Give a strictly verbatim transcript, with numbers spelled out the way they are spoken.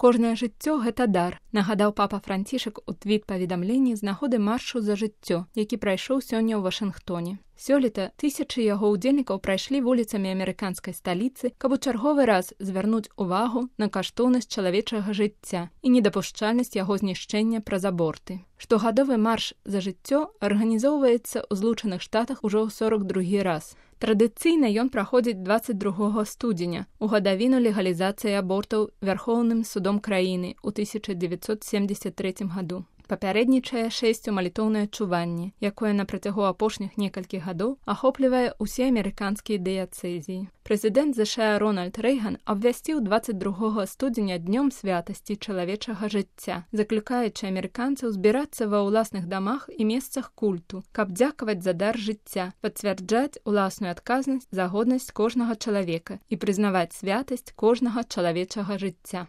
Кожнае жыццё – гэта дар, нагадаў папа Францішак у твіт-паведамленні з нагоды маршу за жыццё, які прайшоў сёння ў Вашынгтоне. Сёлета тысячы яго ўдзельнікаў прайшлі вуліцамі амерыканскай сталіцы, каб у чарговы раз звярнуць увагу на каштоўнасць чалавечага жыцця і недапушчальнасць яго знішчэння праз аборты. Штогадовы марш за жыццё арганізоўваецца ў Злучаных Штатах ужо ў сорак другі раз. Традыцыйна ён праходзіць дваццаць другога студзеня, у гадавіну легалізацыі абортаў Вярхоўным судом краіны ў тысяча дзевяцьсот семдзесят трэцім году. Папярэднічае шэсцю малітоўнае чуванне, якое на працягу апошніх некалькіх гадоў ахоплівае ўсе амерыканскія дыяцэзіі. Прэзідэнт ЗША Рональд Рэйган абвясціў дваццаць другога студзеня днём святасці чалавечага жыцця, заклікаючы амерыканцаў збірацца ва ўласных дамах і месцах культу, каб дзякаваць за дар жыцця, пацвярджаць уласную адказнасць за годнасць кожнага чалавека і прызнаваць святасць кожнага чалавечага жыцця.